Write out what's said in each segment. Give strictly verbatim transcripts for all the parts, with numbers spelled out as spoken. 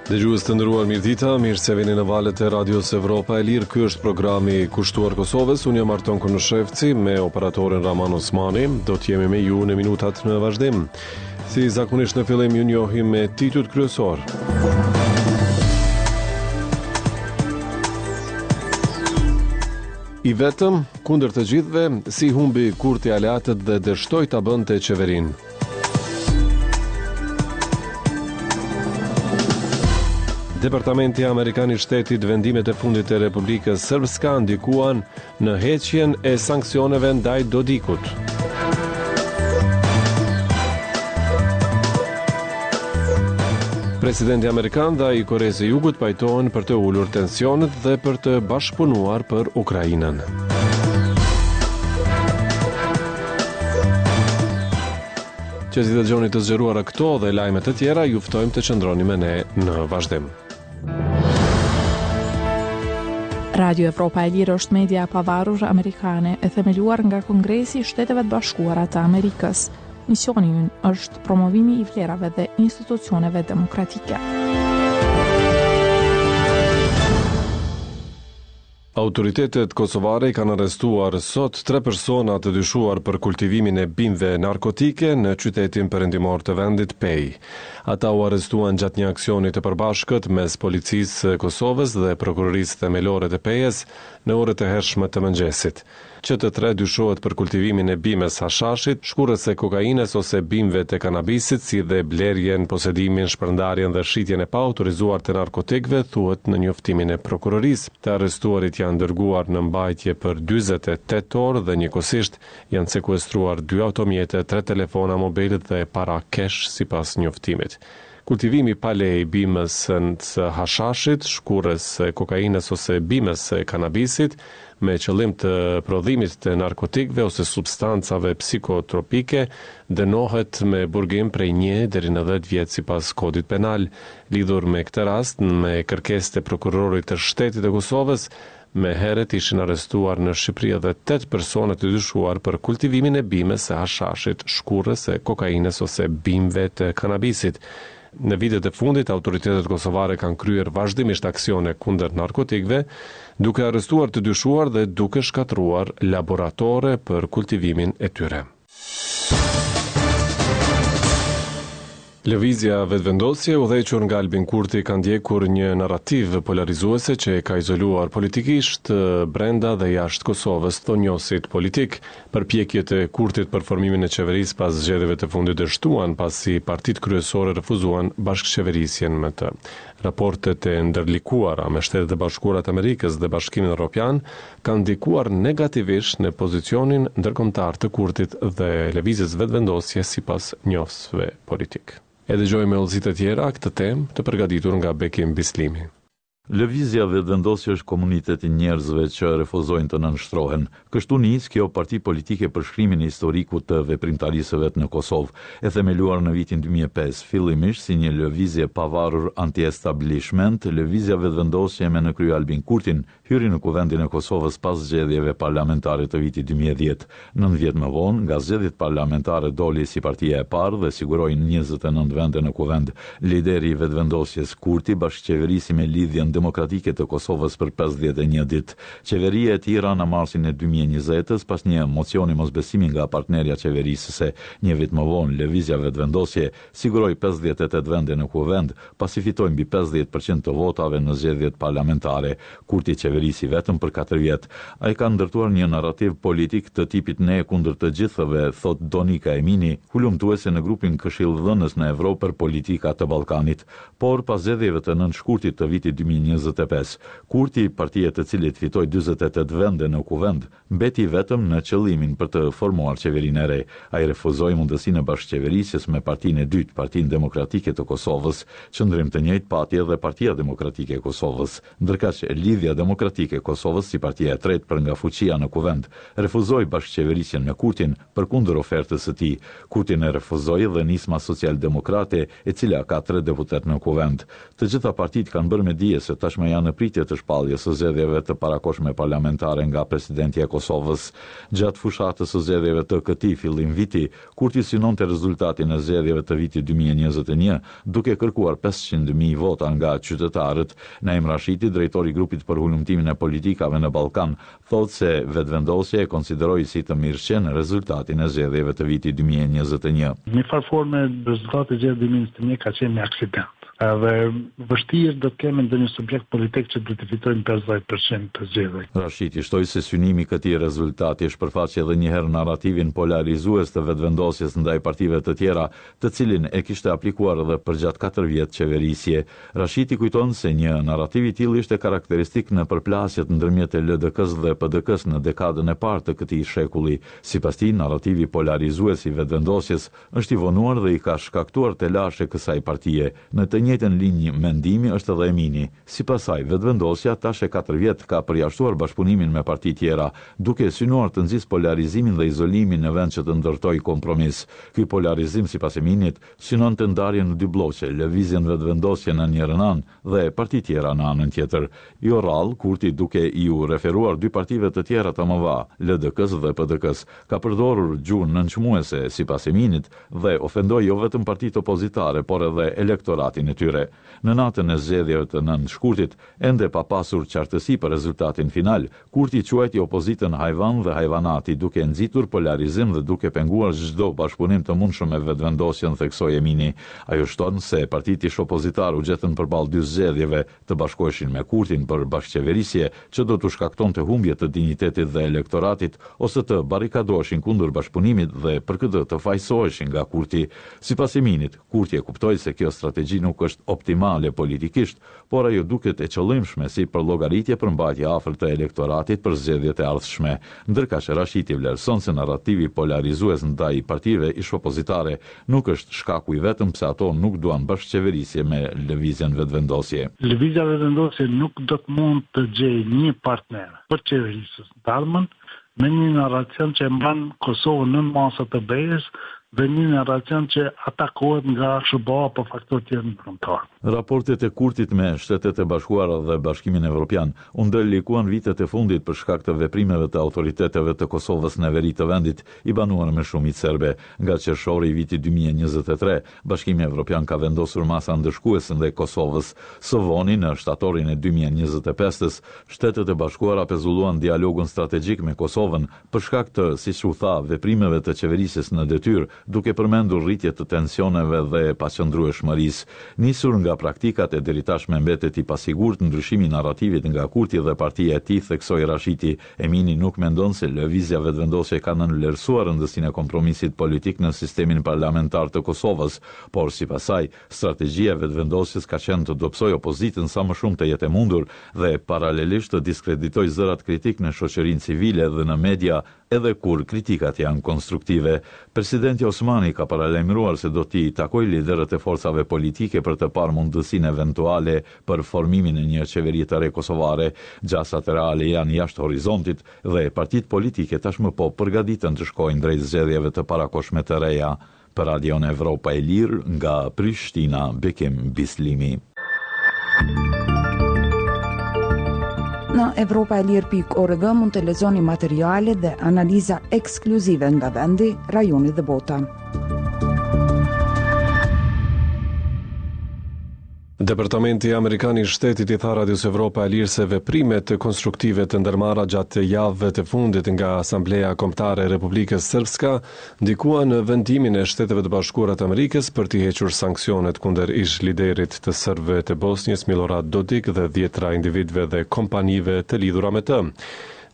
Dëgjues të nderuar, mirëdita, mirë se vini në valët e Radios Evropa e Lirë. Ky është programi kushtuar Kosovës. Unë jam Arton Konushevci me operatorin Raman Osmani. Do të jemi me ju në minutat në vazhdim. Si zakonisht në fillim ju njohim me titujt kryesor. I vetëm, kundër të gjithëve, si humbi Kurti aleatët dhe dështoi ta bënte qeverinë. Departamenti Amerikan i Shtetit, vendimet e fundit të Republikës Srpska ndikuan në heqjen e sanksioneve ndaj Dodikut. Presidenti amerikan dhe ai i Koresë së Jugut pajtohen për të ulur tensionet dhe për të bashkëpunuar për Ukrainën. Që t'i dëgjoni të zgjeruara këto dhe lajme të tjera, ju ftojmë të qëndroni me ne në vazhdim. Radio Evropa e Lirë është media e pavarur amerikane e themeluar nga Kongresi i Shteteve të Bashkuara të Amerikës. Misioni ynë është promovimi i vlerave dhe institucioneve demokratike. Autoritetet kosovare i kanë arrestuar sot tre persona të dyshuar për kultivimin e bimëve narkotike në qytetin perëndimor të vendit Pejë. Ata u arrestuan gjatë një aksioni të përbashkët mes Policisë së Kosovës dhe Prokurorisë Themelore të Pejës në orët e hershme të mëngjesit. Që të tre dyshohet për kultivimin e bimës hashashit, shkurrës së kokainës ose bimëve të kanabisit, si dhe blerjen, posedimin, shpërndarjen dhe shitjen e paautorizuar të narkotikëve, thuhet në njoftimin e prokurorisë. Të arrestuarit janë dërguar në mbajtje për dyzet e tetë orë dhe njëkohësisht janë sekuestruar dy automjete, tre telefona mobil dhe para cash sipas njoftimit. Kultivimi pa leje i bimës së hashashit, shkurrës së kokainës ose bimës së kanabisit, me qëllim të prodhimit të narkotikëve ose substancave psikotropike, dënohet me burgim prej një deri në dhjetë vjet sipas kodit penal. Lidhur me këtë rast, me kërkesë të prokurorit të shtetit të Kosovës, me herët ishin arrestuar në Shqipëri edhe tetë persona të dyshuar për kultivimin e bimës së hashashit, shkurrës së kokainës ose bimëve të kanabisit. Në vitet e fundit, autoritetet kosovare kanë kryer vazhdimisht aksione kundër narkotikëve, duke arrestuar të dyshuar dhe duke shkatërruar laboratore për kultivimin e tyre. Lëvizja Vetëvendosje, udhëhequr nga Albin Kurti, ka ndjekur një narrativë polarizuese që e ka izoluar politikisht brenda dhe jashtë Kosovës, thonë njohësit politik. Përpjekjet e Kurtit për formimin e qeverisë pas zgjedhjeve të fundit dështuan, pasi partitë kryesore refuzuan bashkëqeverisjen me të. Raportet e ndërlikuara me Shtetet e Bashkuara të Amerikës dhe Bashkimin Evropian kanë ndikuar negativisht në pozicionin ndërkombëtar të Kurtit dhe lëvizjes Vetëvendosje sipas njohësve politik. E dëgjojmë me hollësi të tjera këtë temë të përgatitur nga Bekim Bislimi. Lëvizja Vetëvendosje është komuniteti i njerëzve që refuzojnë të nënshtrohen. Kështu nis kjo parti politike për shkrimin e historikut të veprimtarisë së vet në Kosovë, e themeluar në vitin dy mijë e pesë, fillimisht si një lëvizje pavarur anti-establishment. Lëvizja Vetëvendosje me në krye Albin Kurtin hyri në Kuvendin e Kosovës pas zgjedhjeve parlamentare të vitit dy mijë e dhjetë. Nëntë vjet më vonë, nga zgjedhjet parlamentare doli si partia e parë dhe siguroi njëzet e nëntë vende në Kuvend. Lideri i Vetëvendosjes Kurti bashkëqeverisi me Lidhjen Demokratike të Kosovës për pesëdhjetë e një ditë. Qeveria e tij ra në marsin e dy mijë e njëzetës pas një mocioni mosbesimi nga partnerja qeverisëse. Një vit më vonë, Lëvizja Vetëvendosje siguroi pesëdhjetë e tetë vende në Kuvend, pasi fitoi mbi pesëdhjetë përqind të votave në zgjedhjet parlamentare. Kurti qeverisi vetëm për katër vjet. Ai ka ndërtuar një narrativ politik të tipit ne kundër të gjithëve, thot Donika Emini, hulumtuese në grupin Këshilldhënës në Evropë për politika të Ballkanit. Por pas zgjedhjeve të nëntë shkurtit të vitit dy mijë e njëzet e pesë, Kurti, partia të cilit fitoi dyzet e tetë vende në Kuvend, mbeti vetëm në qëllimin për të formuar qeverinë e re. Ai refuzoi mundësinë e bashkëqeverisjes me partinë e dytë, Partinë Demokratike të Kosovës. Qëndrim të njëjtë pati edhe Partia Demokratike e Kosovës. Ndërkaq, Lidhja Demokratike e Kosovës, si partia e tretë për nga fuqia në Kuvend, refuzoi bashkëqeverisjen me Kurtin përkundër ofertës së tij. Kurtin e refuzoi dhe Nisma Social-Demokrate, e cila ka tre deputet në Kuvend. Të gjitha partitë kanë bërë me dije se se tashmë janë në pritje të shpalljes së zgjedhjeve të parakohshme parlamentare nga presidentja e Kosovës. Gjatë fushatës së zgjedhjeve të këtij fillim viti, Kurti synonte rezultatin e zgjedhjeve të vitit dy mijë e njëzet e një, duke kërkuar pesëqind mijë vota nga qytetarët. Naim Rashiti, drejtor i grupit për hulumtimin e politikave në Ballkan, thotë se Vetëvendosja e konsideroi si të mirëqenë rezultatin e zgjedhjeve të vitit dy mijë e njëzet e një. Në një farë forme, rezultati i zgjedhjeve dy mijë e njëzet e një ka qenë një aksident. Edhe vështirë do të kemi ndonjë subjekt politik që do të fitojnë pesëdhjetë për qind të zgjedhjeve. Rashiti shtoi se synimi i këtij rezultati shpërfaqi edhe një herë narrativin polarizues të Vetëvendosjes ndaj partive të tjera, të cilin e kishte aplikuar edhe përgjatë katër vjet qeverisje. Rashiti kujton se një narrativ i tillë ishte karakteristik në përplasjet ndërmjet L D K-s dhe P D K-s në dekadën e parë të këtij shekulli. Sipas tij, narrativi polarizues i Vetëvendosjes është i vonuar dhe i ka shkaktuar telashe kësaj partie. Në të njëjtën linjë mendimi është edhe Emini. Sipas saj, Vetëvendosja tash e katër vjet ka përjashtuar bashkëpunimin me parti tjera, duke synuar të nxisë polarizimin dhe izolimin në vend që të ndërtojë kompromis. Ky polarizim, sipas Eminit, synon të ndarjen në dy blloqe, lëvizjen Vetëvendosje në njërën anë dhe parti tjera në anën tjetër. Jo rrallë, Kurti, duke iu referuar dy partive të tjera të mëdha, L D K-s dhe P D K-s, ka përdorur gjuhë nënçmuese, sipas Eminit, dhe ofendoi jo vetëm partitë opozitare, por edhe elektoratin e tyre. Në natën e zgjedhjeve të nëntë shkurtit, ende pa pasur qartësi për rezultatin final, Kurti quajti opozitën hajvan dhe hajvanati, duke nxitur polarizim dhe duke penguar çdo bashkëpunim të mundshëm me Vetëvendosjen, theksoi Emini. Ajo shton se partitë ish opozitar u gjetën përballë dy zgjedhjeve, të bashkoheshin me Kurtin për bashkëqeverisje, që do t'u shkaktonte humbje të dinjitetit dhe elektoratit, ose të barrikadoheshin kundër bashkëpunimit dhe për këtë të fajsoheshin nga Kurti. Sipas Eminit, Kurti e kuptoi se kjo strategji nuk është optimale politikisht, por ajo duket e qëllimshme si për llogaritje për mbajtje afër të elektoratit për zgjedhjet e ardhshme. Ndërkaq Rashiti vlerëson se narrativi polarizues ndaj partive ish opozitare nuk është shkaku i vetëm pse ato nuk duan bashkëqeverisje me lëvizjen Vetëvendosje. Lëvizja Vetëvendosje nuk do të mund të gjejë një partner për qeverisës në të ardhmen me një narracion që e mban Kosovën nën masat e B E-s dhe një narracion që atakohet nga S H B A apo faktorë tjerë ndërkombëtar. Raportet e Kurtit me Shtetet e Bashkuara dhe Bashkimin Evropian u ndërlikuan vitet e fundit për shkak të veprimeve të autoriteteve të Kosovës në veri të vendit, i banuar me shumicë serbe. Nga qershori i vitit dy mijë e njëzet e tre, Bashkimi Evropian ka vendosur masa ndëshkuese ndaj Kosovës. Së voni, në shtatorin e dy mijë e njëzet e pestës, Shtetet e Bashkuara pezulluan dialogun strategjik me Kosovën për shkak të, siç u tha, veprimeve të qeverisjes në detyrë, duke përmendur rritje të tensioneve dhe paqëndrueshmërisë. Nisur nga praktikat e deritashme mbetet i pasigurt ndryshimi i narrativit nga Kurti dhe partia e tij, theksoi Rashiti. Emini nuk mendon se lëvizja Vetëvendosje ka nënvlerësuar rëndësinë e kompromisit politik në sistemin parlamentar të Kosovës, por sipas saj, strategjia e Vetëvendosjes ka qenë të dobësojë opozitën sa më shumë të jetë e mundur dhe paralelisht të diskreditojë zërat kritik në shoqërinë civile dhe në media, edhe kur kritikat janë konstruktive. Presidenti Osmani ka paralajmëruar se do t'i takojë liderët e forcave politike për të parë mundësinë eventuale për formimin e një qeverie të re kosovare. Gjasat reale janë jashtë horizontit dhe partitë politike tashmë po përgatiten të shkojnë drejt zgjedhjeve të parakohshme të reja. Për Radion Evropa e Lirë nga Prishtina, Bekim Bislimi. Në Evropa e Lirë pikë org mund të lexoni materiale dhe analiza ekskluzive nga vendi, rajoni dhe bota. Departamenti Amerikan i Shtetit i tha Radios Evropa e Lirë se veprimet konstruktive të ndërmarra gjatë javëve të fundit nga Asambleja Kombëtare e Republikës Srpska ndikuan në vendimin e Shteteve të Bashkuara të Amerikës për t'i hequr sanksionet kundër ish liderit të serbëve të Bosnjës Milorad Dodik dhe dhjetra individëve dhe kompanive të lidhura me të.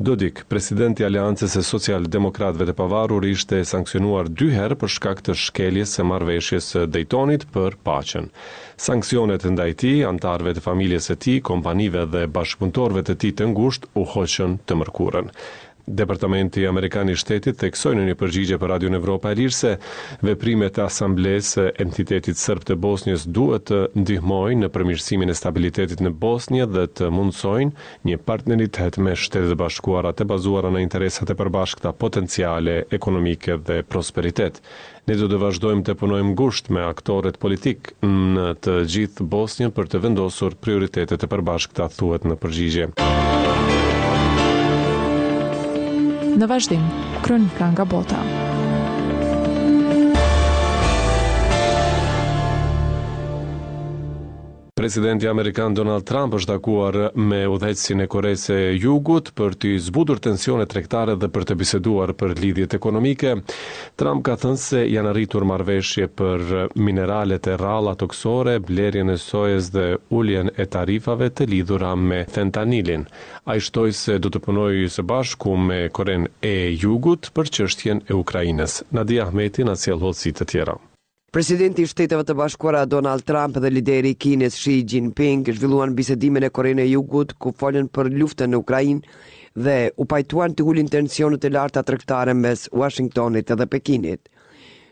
Dodik, presidenti i Aleancës së Social-Demokratëve të Pavarur, ishte sanksionuar dy herë për shkak të shkeljes së marrëveshjes së Daytonit për paqen. Sanksionet ndaj tij, anëtarëve të familjes së tij, kompanive dhe bashkëpunëtorëve të tij të ngushtë u hoqën të mërkurën. Departamenti Amerikan i Shtetit theksoi në një përgjigje për Radion Evropa e Lirë se veprimet e Asamblesë së entitetit serb të Bosnjës duhet të ndihmojnë në përmirësimin e stabilitetit në Bosnjë dhe të mundësojnë një partneritet me Shtetet e Bashkuara të bazuara në interesat e përbashkëta potenciale, ekonomike dhe prosperitet. Ne do të vazhdojmë të punojmë ngushtë me aktorët politik në të gjithë Bosnjën për të vendosur prioritetet e përbashkëta, thuhet në përgjigje. Në vazhdim, kronika nga bota. Presidenti amerikan Donald Trump është takuar me udhëheqësin e Koresë së Jugut për të zbutur tensionet tregtare dhe për të biseduar për lidhjet ekonomike. Trump ka thënë se janë arritur marrëveshje për mineralet e rralla tokësore, blerjen e sojës dhe uljen e tarifave të lidhura me fentanilin. Ai shtoi se do të punojë së bashku me Korenë e Jugut për çështjen e Ukrainës. Nadia Ahmeti na sjell hollësi të tjera. Presidenti i Shteteve të Bashkuara Donald Trump dhe lideri i Kinës Xi Jinping zhvilluan bisedime në Korenë e Jugut ku folën për luftën në Ukrainë dhe u pajtuan të ulin tensionet e larta tregtare mes Washingtonit dhe Pekinit.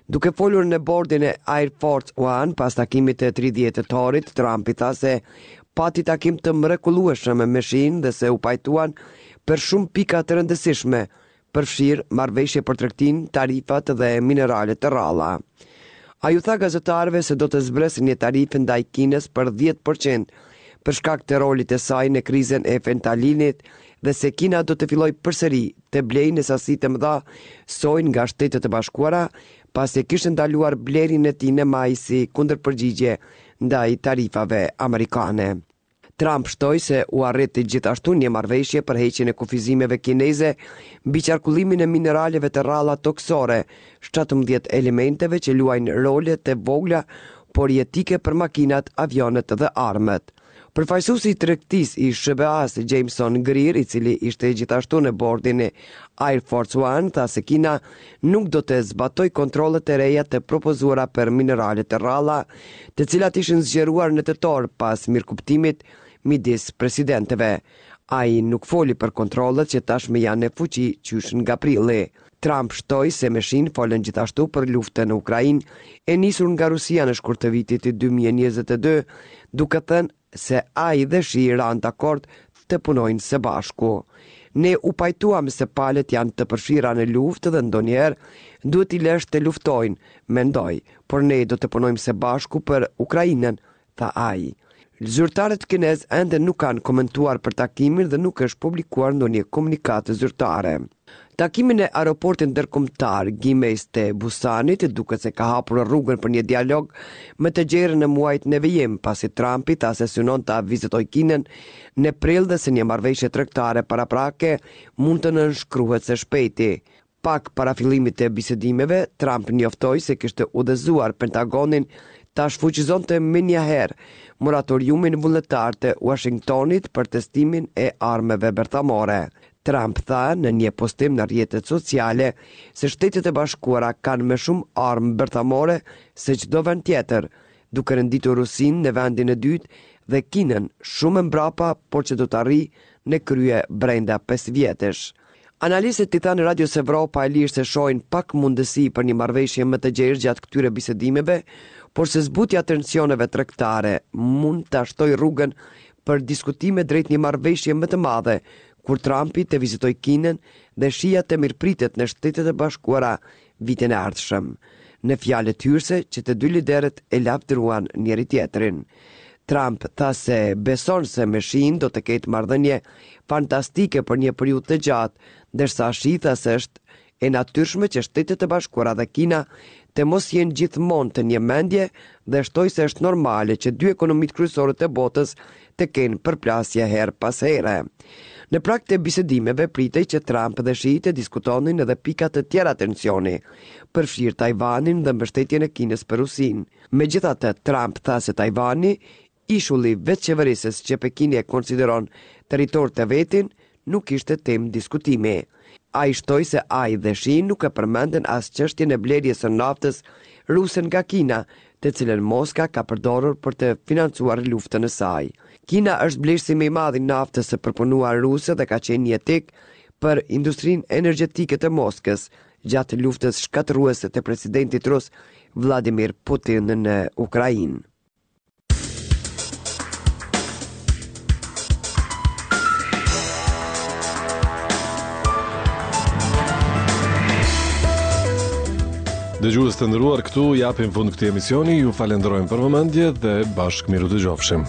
Duke folur në bordin e Air Force One pas takimit të tridhjetë tetorit, Trumpi tha se pati takim të mrekullueshëm me Xi-n dhe se u pajtuan për shumë pika të rëndësishme, përfshirë marrëveshje për tregtinë, tarifat dhe mineralet të rralla. Ai u tha gazetarëve se do të zbresë një tarifë ndaj Kinës për dhjetë përqind për shkak të rolit të saj në krizën e fentanilit dhe se Kina do të fillojë përsëri të blejë në sasi të mëdha sojë nga Shtetet e Bashkuara, pasi kishte ndaluar blerjen e tij në maj si kundërpërgjigje ndaj tarifave amerikane. Trump shtoi se u arriti gjithashtu një marrëveshje për heqjen e kufizimeve kineze mbi qarkullimin e mineraleve të rralla tokësore, shtatëmbëdhjetë elementeve që luajnë role të vogla por jetike për makinat, avionët dhe armët. Përfaqësuesi i tregtisë i S H B A-s, Jameson Greer, i cili ishte gjithashtu në bordin e Air Force One, tha se Kina nuk do të zbatojë kontrollet e reja të propozuara për mineralet e rralla, të cilat ishin zgjeruar në tetor pas mirëkuptimit midis presidentëve. Ai nuk foli për kontrollet që tashmë janë në fuqi qysh nga prilli. Trump shtoi se me Shin folën gjithashtu për luftën në Ukrainë e nisur nga Rusia në shkurt të vitit dy mijë e njëzet e dy, duke thënë se ai dhe Xi ranë dakord të punojnë së bashku. Ne u pajtuam se palët janë të përfshira në luftë dhe ndonjëherë duhet i lësh të luftojnë, mendoj, por ne do të punojmë së bashku për Ukrainën, tha ai. Zyrtarët kinez ende nuk kanë komentuar për takimin dhe nuk është publikuar ndonjë komunikatë zyrtare. Takimi në aeroportin ndërkombëtar Gimhae të Busanit duket se ka hapur rrugën për një dialog më të gjerë në muajt në vijim, pasi Trumpi tha se synon ta vizitojë Kinën në prill dhe se një marrëveshje tregtare paraprake mund të nënshkruhet së shpejti. Pak para fillimit të bisedimeve, Trump njoftoi se kishte udhëzuar Pentagonin ta shfuqizonte menjëherë moratoriumin vullnetar të Washingtonit për testimin e armëve bërthamore. Trump tha në një postim në rrjetet sociale se Shtetet e Bashkuara kanë më shumë armë bërthamore se çdo vend tjetër, duke renditur Rusinë në vendin e dytë dhe Kinën shumë mbrapa, por që do të arrijë në krye brenda pesë vjetësh. Analistët i thanë Radios Evropa e Lirë se shohin pak mundësi për një marrëveshje më të gjerë gjatë këtyre bisedimeve, por se zbutja e tensioneve tregtare mund ta shtojë rrugën për diskutime drejt një marrëveshje më të madhe, kur Trumpi të vizitojë Kinën dhe Xia të mirëpritet në Shtetet e Bashkuara vitin e ardhshëm. Në fjalët hyrëse që të dy liderët e lavdëruan njëri tjetrin. Trump tha se beson se me Xin do të ketë marrëdhënie fantastike për një periudhë të gjatë, ndërsa Xi tha se është e natyrshme që Shtetet e Bashkuara dhe Kina të mos jenë gjithmonë të një mendje dhe shtoi se është normale që dy ekonomitë kryesore të botës të kenë përplasje herë pas here. Në prag të bisedimeve pritej që Trump dhe Xi të diskutonin edhe pika të tjera tensioni, përfshirë Tajvanin dhe mbështetjen e Kinës për Rusinë. Megjithatë, Trump tha se Tajvani, ishulli vetëqeverisës që Pekini e konsideron territor të vetin, nuk ishte temë diskutimi. Ai shtoi se ai dhe Xi nuk e përmendën as çështjen e blerjes së naftës ruse nga Kina, të cilën Moska ka përdorur për të financuar luftën e saj. Kina është blerësi më i madh i naftës së përpunuar ruse dhe ka qenë jetik për industrinë energjetike të Moskës gjatë luftës shkatërruese të presidentit rus Vladimir Putin në Ukrainë. Dëgjues të nderuar, këtu japim fund këtij emisioni, ju falenderojmë për vëmendje dhe bashkë mirudëgjofshim.